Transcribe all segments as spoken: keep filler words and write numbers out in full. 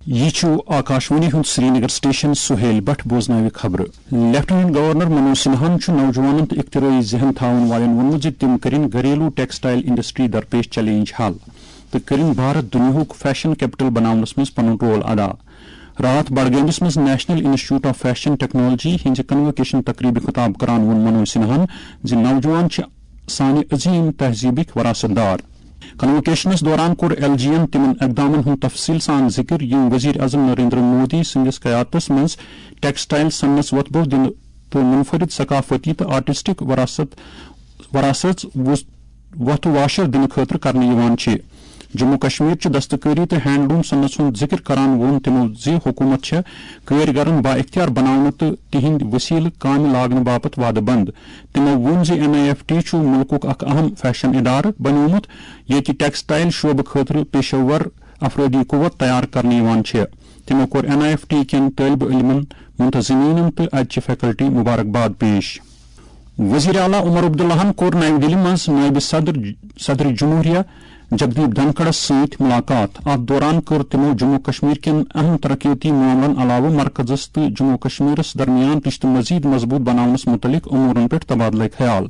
یہِ چھُ آکاشوانی ہُنٛد سرینگر سٹیشن۔ سہیل بٹ بوزناوِ خبرٕ۔ لیفٹیننٹ گورنر منوج سنہاہن چھُ نوجوانن تہٕ اختراعی ذہن تھاون والٮ۪ن ووٚنمُت زِ تِم کٔرِن گھریلو ٹیکسٹائل انڈسٹری درپیش چیلنج حل تہٕ کٔرِن بھارت دُنیاہُک فیشن کیپٹل بناونس منٛز پنُن رول ادا۔ راتھ بڈگٲمِس منٛز national institute of fashion technology ہٕنٛزِ کنووکیشن تقریبہِ خطاب کران ووٚن منوج سنہاہن زِ نوجوان چھِ سانہِ عظیم تہذیبٕکۍ وراثت دار۔ کنووکیشنس دوران کوٚر ایل جی ین تِمن اقدامن ہُنٛد تفصیل سان ذکر، یِم وزیر اعظم نریندر مودی سٕنٛدِس قیادتس منٛز ٹیکسٹائل صنعتس وۄتھٕ بوٚو دِنہٕ تہٕ منفرد ثقافتی تہٕ آرٹسٹک وراثت، وراثت وُس-، وۄتھٕ واشر دِنہٕ خٲطرٕ کرنہٕ یِوان چھِ۔ جموں کشمیر چہِ دستکٲری تہٕ ہینڈلوم صنعتس ہُنٛد ذکر کران ووٚن تِمو زِ حکوٗمت چھےٚ کٲرۍ گرن با اختیار بناونہٕ تہٕ تِہنٛدۍ وسیلہٕ کامہِ لاگنہٕ باپتھ وعدٕ بنٛد۔ تِمو ووٚن زِ این آئی ایف ٹی چھُ مُلکُک اکھ اہم فیشن ادارٕ بنیومُت، ییٚتہِ ٹیکسٹائل شعبہٕ خٲطرٕ پیشہٕ ور افرٲدی قوت تیار کرنہٕ یِوان چھِ۔ تِمو کوٚر این آئی ایف ٹی کٮ۪ن طٲلبہِ علمن، منتظمینن تہٕ اتہِ چہِ فیکلٹی مبارک باد پیش۔ وزیر اعلیٰ عمر عبداللہن کوٚر نَیہِ دِلہِ منٛز نٲیِب صدر، صدر جمہوریہ جگدیپ دھنکھڑس سۭتۍ ملاقات۔ اتھ دوران کٔر تِمو جموں کشمیر کٮ۪ن اہم ترقیتی معاملن علاوٕ مرکزس تہٕ جموں کشمیرس درمیان رشتہٕ مزید مضبوط بناونس متعلق امورن پٮ۪ٹھ تبادلہ خیال۔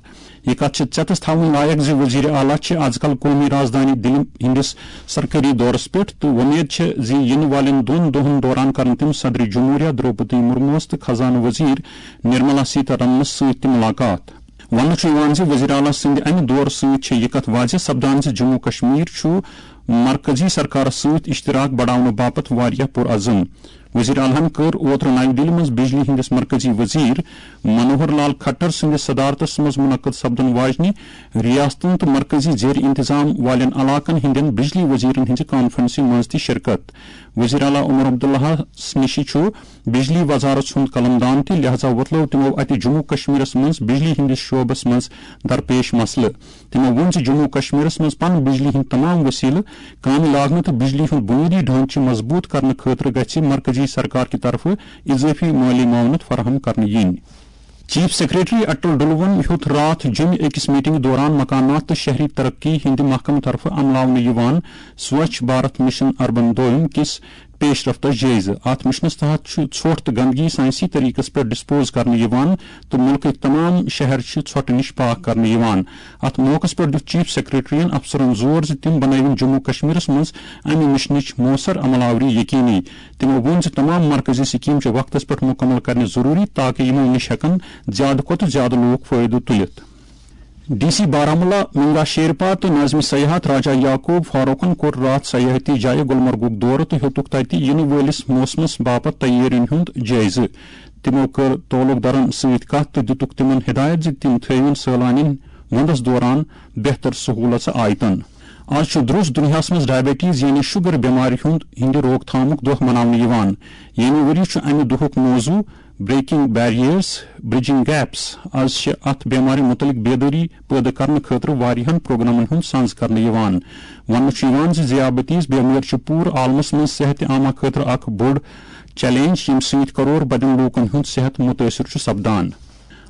یہِ کتھ چھِ ژیتس تھاوٕنۍ لایق زِ وزیر اعلیٰ چھِ از کل قومی رازدانی دِلہِ ہٕنٛدِس سرکٲری دورس پٮ۪ٹھ تہٕ وۄمید چھےٚ زِ یِنہٕ والٮ۪ن دۄن دۄہن دوران کرن تِم صدر جمہوریہ درٛوپدی مرموس تہٕ خزانہٕ وزیر نرملا سیتارمنس سۭتۍ تہِ ملاقات۔ وننہٕ چھُ یِوان زِ وزیر اعلیٰ سٕنٛدِ امہِ دورٕ سۭتۍ چھےٚ یہِ کتھ واضح سپدان زِ جموں کشمیر چھُ مرکزی سرکارس سۭتۍ اشتراک بڑاونہٕ باپتھ واریاہ پرعزم۔ وزیر اعلیٰ ہن کٔر اوترٕ نَیہِ دِلہِ منٛز بجلی ہٕنٛدِس مرکزی وزیر منوہر لال کھٹر سٕنٛدِس صدارتس منٛز منعقد سپدن واجنہِ ریاستن تہٕ مرکزی زیر انتظام والٮ۪ن علاقن ہٕنٛدٮ۪ن بجلی وزیرن ہٕنٛزِ کانفرنسہِ منٛز تہِ شرکت۔ وزیر اعلیٰ عمر عبداللہس نِشہِ چھُ بجلی وزارت ہُنٛد قلمدان تہِ، لہذا وۄتلٲو تِمو اتہِ جموں کشمیرس منٛز بجلی ہٕنٛدِس شعبس منٛز درپیش مسلہٕ۔ تِمو ووٚن زِ جموں کشمیرس منٛز پن بجلی ہٕنٛدۍ تمام وسیلہٕ کامہِ لاگنہٕ تہٕ بجلی ہُنٛد بنیٲدی ڈھانچہٕ مضبوط کرنہٕ خٲطرٕ گژھِ مرکزی سرکار کہِ طرفہٕ اضٲفی مٲلی معاونت فراہم کرنہٕ یِنۍ۔ چیف سیکرٹری اٹل ڈلون ہیوٚت راتھ جوٚمہِ أکِس میٹنگ دوران مکانات تہٕ شہری ترقی ہٕنٛدِ محکمہٕ طرفہٕ عملاونہٕ یِوان سوچھ بھارت مشن اربن دویم کِس پیش رفتس جٲیزٕ۔ اتھ مشنس تحت چھُ ژھۄٹھ تہٕ گندگی سائنسی طریقس پٮ۪ٹھ ڈسپوز کرنہٕ یِوان تہٕ مُلکٕکۍ تمام شہر چھِ ژھۄٹہٕ نِش پاک کرنہٕ یِوان۔ اتھ موقعس پٮ۪ٹھ دِیُت چیف سیکرٹریَن افسرن زور زِ تِم بنٲوِن جموں کشمیرس منٛز امہِ مشنٕچ مؤثر عمل آوری یقینی۔ تِمو ووٚن زِ تمام مرکزی سکیمہٕ چھِ وقتس پٮ۪ٹھ مکمل کرنہِ ضروری تاکہ یِمو نِش ہٮ۪کن زیادٕ کھۄتہٕ زیادٕ لوٗکھ فٲیدٕ تُلِتھ۔ ڈی سی بارہمولہ منگا شیرپا تہٕ ناظم سیاحت راجہ یعقوب فاروقن کوٚر راتھ سیاحتی جایہِ گلمرگُک دورٕ تہٕ ہیوٚتُکھ تَتہِ یِنہٕ وٲلِس موسمَس باپتھ تیٲرین ہُنٛد جٲیزٕ۔ تِمو کٔر تعلق دارن سۭتۍ کتھ تہٕ دِتُکھ تِمن ہدایت زِ تِم تھٲوِن سٲلانین وندس دوران بہتر سہولژٕ آیتن۔ از چھُ درٛوس دُنیاہس منٛز ڈائبٹیز یعنی شوگر بٮ۪مارِ ہُنٛد، ہٕنٛدِ روک تھامُک دۄہ مناونہٕ یِوان۔ ییٚمہِ ؤرۍ چھُ امہِ دۄہُک موضوع بریکنگ بیریئرز، برجنگ گیپس۔ از چھِ اتھ بٮ۪مارِ مُتعلق بیدٲری پٲدٕ کرنہٕ خٲطرٕ واریاہن پروگرامن ہُنٛد سنز کرنہٕ یِوان۔ وننہٕ چھُ یِوان زِ ذیابطیز بٮ۪مٲرۍ چھِ پوٗرٕ عالمس منٛز صحت عامہ خٲطرٕ اکھ بوٚڑ چیلنج، ییٚمہِ سۭتۍ کرور بدٮ۪ن لوٗکن ہُنٛد صحت مُتٲثر چھُ سپدان۔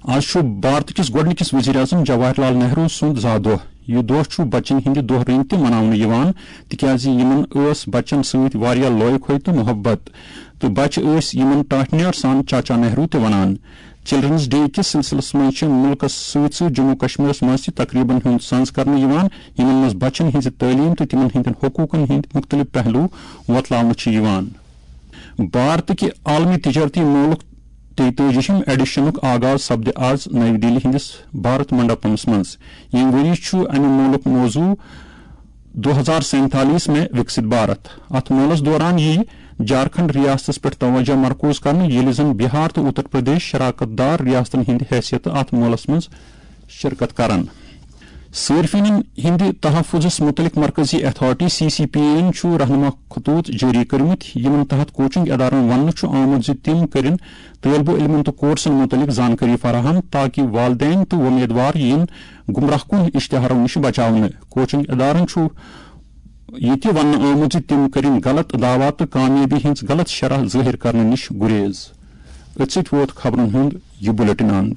از چھُ بھارت کِس گۄڈٕنِکِس وزیر اعظم جواہر لال نہرو سُنٛد زا دۄہ۔ یہِ دۄہ چھُ بچن ہٕنٛدِ دۄہ رٔنگۍ تہِ مناونہٕ یِوان، تِکیازِ یِمن ٲس بچن سۭتۍ واریاہ لۄے کھوے تہٕ محبت، تہٕ بچہٕ ٲسۍ یِمن ٹاٹھنیار سان چاچا نہرو تہِ ونان۔ چلڈرنز ڈے کِس سلسلس منٛز چھِ مُلکس سۭتۍ سۭتۍ جموں کشمیرس منٛز تہِ تقریبن ہُنٛد سنز کرنہٕ یِوان، یِمن منٛز بچن ہٕنٛزِ تعلیٖم تہٕ تِمن ہٕنٛدٮ۪ن حقوقن ہٕنٛدۍ مُختٔلِف پہلو وۄتلاونہٕ چھِ یِوان۔ بھارت کہِ عالمی تجارتی مولُک تیتٲجِہِم ایڈیشنُک آغاز سپدِ آز نئی دہلی ہٕنٛدِس بھارت منڈپمس منٛز۔ ییٚمہِ ؤری چھُ امہِ مولُک موضوع دو ہزار سینتالیس میں وکست بھارت۔ اتھ مولس دوران ییہِ جھارکھنڈ ریاستس پٮ۪ٹھ توجہ مرکوز کرنہٕ، ییٚلہِ زن بہار تہٕ اتر پردیش شراکت دار ریاستن ہٕنٛدِ حیثیتہٕ اتھ مولس منٛز شرکت کرن۔ صارفینن ہٕنٛدِ تحفظس مُتعلق مرکزی authority, C C P A, یَن چھُ رہنما خطوط جٲری کٔرمٕتۍ، یِمن تحت کوچنگ ادارن وننہٕ چھُ آمُت زِ تِم کٔرِن طٲلبہِ علمن تہٕ کورسن مُتعلق زانکٲری فراہم تاکہ والدین تہٕ وۄمیدوار یِن گمراہ کُن اشتہارو نِش بچاونہٕ۔ کوچنگ ادارن چھُ یہِ تہِ وننہٕ آمُت زِ تِم کٔرِن غلط دعویٰ تہٕ کامیٲبی ہٕنٛز غلط شرح ظٲہِر کرنہٕ نِش گُریز۔ أتھۍ سۭتۍ ووت خبرن ہُنٛد یہِ بلیٹن اند۔